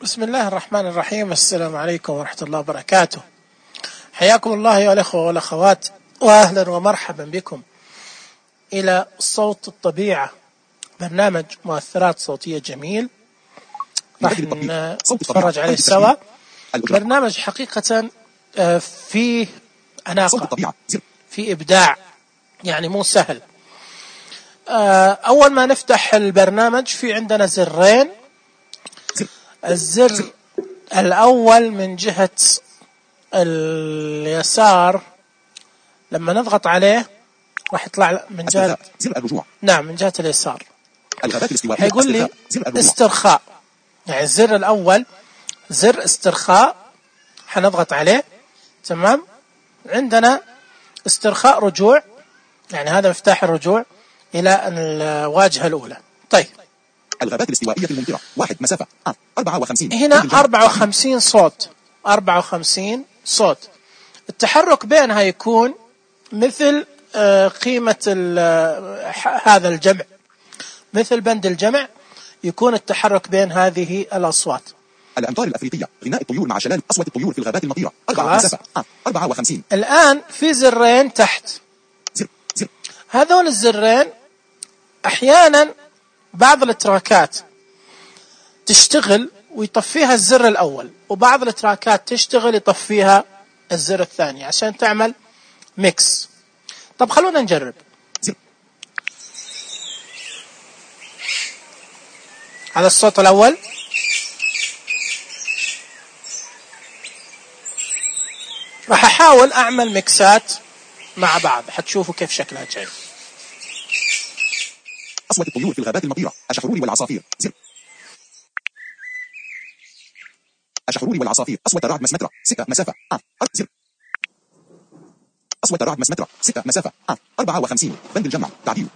بسم الله الرحمن الرحيم. السلام عليكم ورحمة الله وبركاته. حياكم الله أيها الأخوة والأخوات، وأهلا ومرحبا بكم إلى صوت الطبيعة، برنامج مؤثرات صوتية جميل راح نتفرج عليه سوا. برنامج حقيقة فيه أناقة، فيه إبداع، يعني مو سهل. أول ما نفتح البرنامج في عندنا زرين. الزر الأول من جهة اليسار لما نضغط عليه راح يطلع من جهة من جهة اليسار، هيقول لي استرخاء، يعني الزر الأول زر استرخاء، حنضغط عليه. تمام، عندنا استرخاء رجوع، يعني هذا مفتاح الرجوع إلى الواجهة الأولى. طيب، الغابات الاستوائية الممطرة، 1 مسافة 54. هنا 54 صوت، 54 صوت. التحرك بينها يكون مثل قيمة هذا الجمع، مثل بند الجمع، يكون التحرك بين هذه الأصوات. الأمطار الأفريقية، غناء الطيور مع شلال أصوات الطيور في الغابات المطيرة، 4 مسافة 54. الآن في زرين تحت، زر. هذول الزرين أحيانا بعض الاتراكات تشتغل ويطفيها الزر الأول، وبعض الاتراكات تشتغل يطفيها الزر الثاني عشان تعمل ميكس. طب خلونا نجرب. زر. هذا الصوت الأول، راح أحاول أعمل ميكسات مع بعض، حتشوفوا كيف شكلها جاي. أصوات الطيور في الغابات المطيرة، الشحرور والعصافير. زر. الشحرور والعصافير، أصوات الرعد مسمترة، 6 مسافة زر. أصوات الرعد مسمترة، 6 مسافة 54. بند الجمع، تعديل.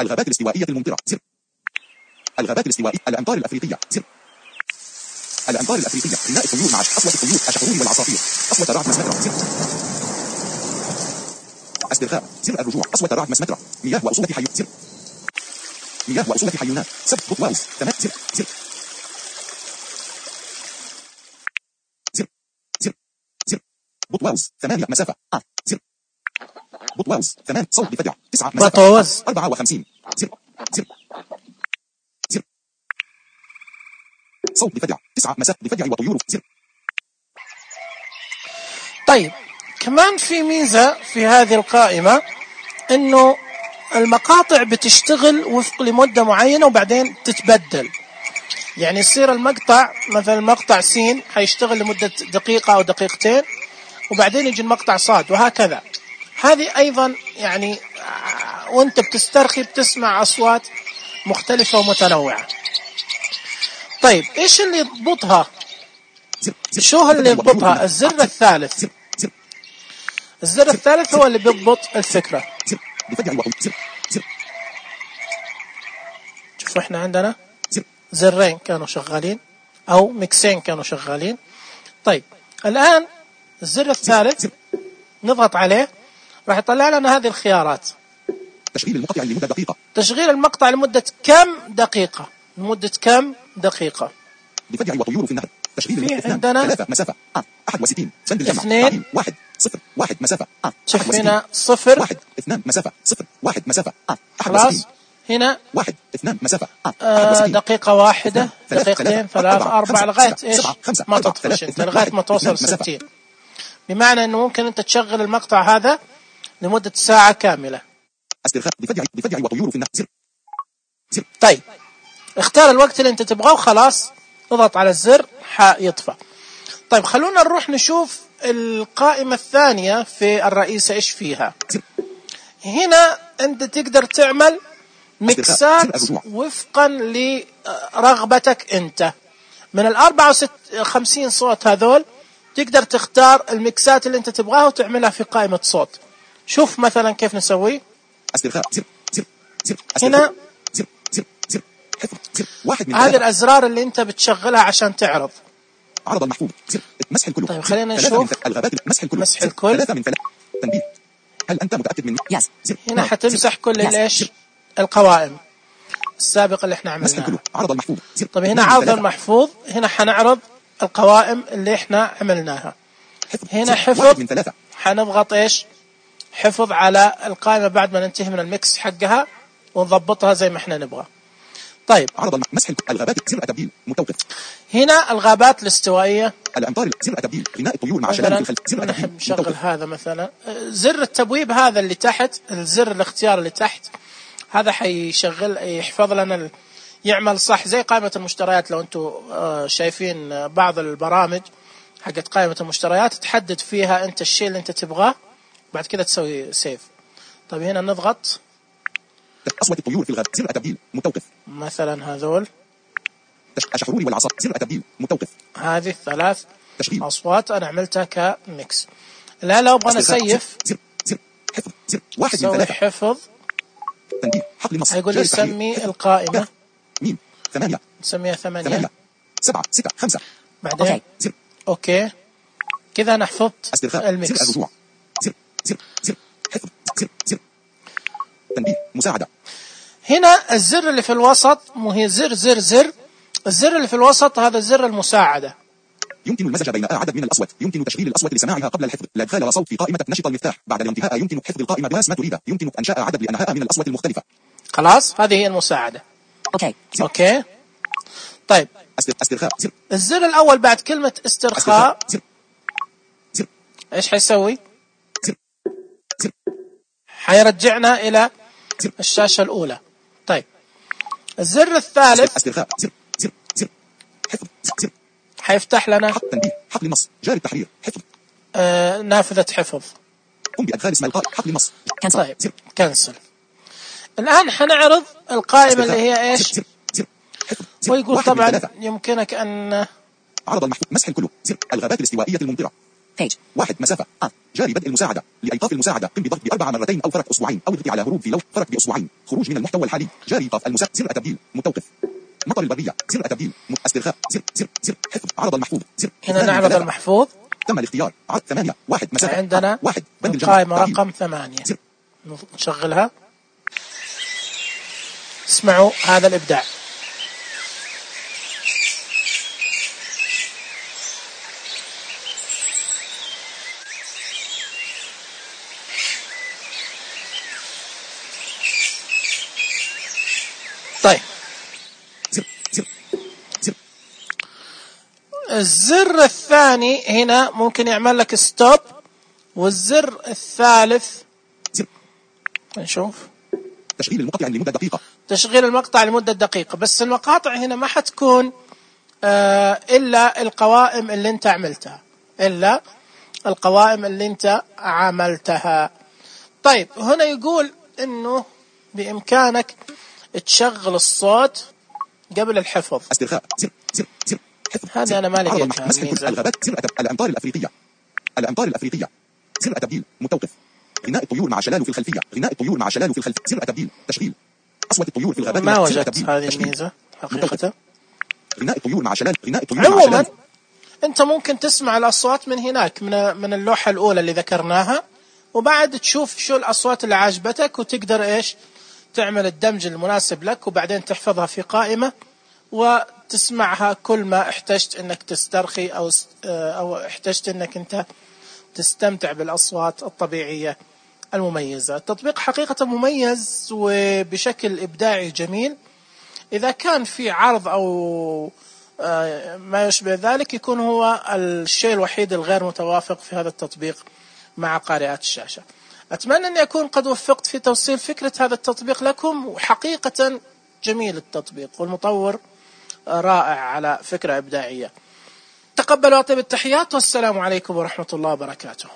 الغابات الاستوائية الممطرة. زر. الغابات الاستوائية، الأمطار الأفريقية. زر. الأمطار الأفريقية، غناء الطيور مع أصوات الطيور، الشحرور والعصافير. أصوات الرعد مسمترة. زر. استرخاء، زر الرجوع، أصوات الرعد مسمترة، مياه وأصولة حيوان. زر. مياه وأصولة حيوانات، سبت بوتواوز، 8 زر. زر. زر. زر. زر. بوتواوز، 8 مسافة زر. بوتواوز، 8 صوت بفجع، 9 مسافة 54. زر. زر. زر. صوت بفجع، 9 مسافة بفجع وطيور. زر. طيب، كمان في ميزة في هذه القائمة، انه المقاطع بتشتغل وفق لمدة معينة وبعدين تتبدل، يعني يصير المقطع مثلا مقطع سين حيشتغل لمدة دقيقة أو دقيقتين، وبعدين يجي المقطع صاد، وهكذا. هذه أيضا يعني وانت بتسترخي بتسمع أصوات مختلفة ومتنوعة. طيب، إيش اللي يضبطها؟ شو اللي يضبطها؟ الزر الثالث. الزر الثالث هو اللي بيضبط الفكرة. شوفوا احنا عندنا زرين كانوا شغالين او ميكسين كانوا شغالين. طيب، الان الزر الثالث نضغط عليه راح يطلع لنا هذه الخيارات. تشغيل المقطع لمدة دقيقة. تشغيل المقطع لمدة كم دقيقة؟ لمدة كم دقيقة؟ بفجع وطيور في النهر. تشغيل في عندنا 3 مسافة 61. بند الجمع، 2 1 0 1 مسافة شوف هنا 0 1 2 مسافة 0 1 مسافة خلاص. هنا 1 2 مسافة دقيقة واحدة، دقيقتين، 3 4 لغاية ايش ما تطفش انت، لغاية ما توصل 60. بمعنى انه ممكن انت تشغل المقطع هذا لمدة ساعة كاملة. استرخاء بفجع وطيور في النهر. زر. زر. طيب، اختار الوقت اللي انت تبغاه وخلاص، اضغط على الزر حيطفى. طيب، خلونا نروح نشوف القائمة الثانية في الرئيسة ايش فيها. زر. هنا انت تقدر تعمل ميكسات وفقا لرغبتك انت. من 54 صوت هذول تقدر تختار الميكسات اللي انت تبغاها وتعملها في قائمة صوت. شوف مثلا كيف نسوي. استرخاء، زر. زر. زر. هنا زر. زر. زر. حفظ، زر. 1 من هذه الأزرار اللي انت بتشغلها عشان تعرض. عرض المحفوظ، زر. مسح الكل. طيب، خلينا نشوف. الغابات، مسح الكل. مسح الكل. 3 من 3. تنبيه، هل أنت متأكد مني؟ يس. هنا حتمسح كل الايش القوائم. السابق اللي احنا مسح عملناه. الكل. عرض المحفوظ. زر. طيب هنا نجم عرض 3. المحفوظ، هنا حنعرض القوائم اللي احنا عملناها. حفظ. هنا زر. حفظ، 1 من 3. حنضغط ايش؟ حفظ على القائمة بعد ما ننتهي من الميكس حقها ونضبطها زي ما احنا نبغى. طيب عرض مسح الغابات. زر التبديل متوقف. هنا الغابات الاستوائية. الأمطار. زر التبديل. غناء الطيور مع شلال في الخلف. زر التبديل نحب نشغل متوقف. هذا مثلا. زر التبويب هذا اللي تحت، الزر الاختيار اللي تحت هذا حيشغل يحفظ لنا يعمل صح زي قائمة المشتريات. لو انتم شايفين بعض البرامج حقت قائمة المشتريات تحدد فيها انت الشيء اللي انت تبغاه بعد كده تسوي سيف. طيب هنا نضغط أصوات الطيور في الغابة. زر التبديل متوقف. مثلا هذول الشحرور والعصا. زر التبديل متوقف. هذه الثلاث تشغيل. أصوات أنا عملتها كميكس. لا لو أبغى نسيف زر. حفظ. زر. 1 من سوي 3. حفظ. تنبيه. حقل نص. هيقول لي سمي القائمة. ميم. 8. نسميها 8. 7 6 5. بعدين زر. أوكي كذا أنا حفظت استرخاء. الميكس. زر الرجوع. زر حفظ. زر تنبيه. مساعدة. هنا الزر اللي في الوسط مو هي زر. الزر اللي في الوسط هذا زر المساعدة. يمكن المزج بين عدد من الأصوات. يمكن تشغيل الأصوات لسماعها قبل الحفظ. لا إدخال صوت في قائمة نشط المفتاح. بعد الانتهاء يمكن حفظ القائمة بنفس ما تريد. يمكن إنشاء عدد لأنها من الأصوات المختلفة. خلاص هذه هي المساعدة. أوكي طيب استرخاء. زر. الزر الأول بعد كلمة استرخاء زر. إيش حيسوي؟ زر. حيرجعنا إلى زر. الشاشة الأولى. طيب الزر الثالث استرخاء. زر حفظ. زر حيفتح لنا تنبيه. حقل النص. جاري التحرير. حفظ. نافذة حفظ. قم بأدخال اسم القائمة. حقل النص. طيب كنسل. الآن حنعرض القائمة اللي هي إيش؟ زر. حفظ. ويقول طبعا يمكنك أن عرض المحفوظ. مسح الكل. زر. الغابات الاستوائية الممطرة. 1 مسافة. جاري بدء المساعدة. لإيقاف المساعدة قم بضغط ب4 مرتين أو فرق أسبوعين أو اضغط على هروب في لو فرق بأسبوعين. خروج من المحتوى الحالي. جاري إيقاف المساعدة. زر التبديل متوقف. مطر البرية. زر التبديل. استرخاء. زر حفظ. عرض المحفوظ. زر. هنا نعرض المحفوظ. تم الاختيار. 8 1 مسافة. عندنا 1 بند القائمة رقم 8. زر. نشغلها. اسمعوا هذا الإبداع. طيب الزر الثاني هنا ممكن يعمل لك ستوب، والزر الثالث نشوف تشغيل المقطع لمدة دقيقة. تشغيل المقطع لمدة دقيقة. بس المقاطع هنا ما حتكون إلا القوائم اللي انت عملتها، إلا القوائم اللي انت عملتها. طيب هنا يقول انه بإمكانك تشغل الصوت قبل الحفظ. استرخاء. زر حفظ. هذا أنا ما لقيتها. مسح الغابات. زر الأمطار الأفريقية. زر التبديل متوقف. غناء الطيور مع شلال في الخلفية. زر التبديل. تشغيل أصوات الطيور في الغابات. ما وجدت هذه الميزة حقيقة. غناء الطيور مع شلال. عموما أنت ممكن تسمع الأصوات من هناك من اللوحة الأولى اللي ذكرناها، وبعد تشوف شو الأصوات اللي عجبتك وتقدر إيش تعمل الدمج المناسب لك، وبعدين تحفظها في قائمة وتسمعها كل ما احتجت انك تسترخي او احتجت انك انت تستمتع بالاصوات الطبيعية المميزة. التطبيق حقيقة مميز وبشكل ابداعي جميل. اذا كان في عرض او ما يشبه ذلك يكون هو الشيء الوحيد الغير متوافق في هذا التطبيق مع قارئات الشاشة. أتمنى أني أكون قد وفقت في توصيل فكرة هذا التطبيق لكم، وحقيقة جميل التطبيق والمطور رائع على فكرة إبداعية. تقبلوا أطيب التحيات والسلام عليكم ورحمة الله وبركاته.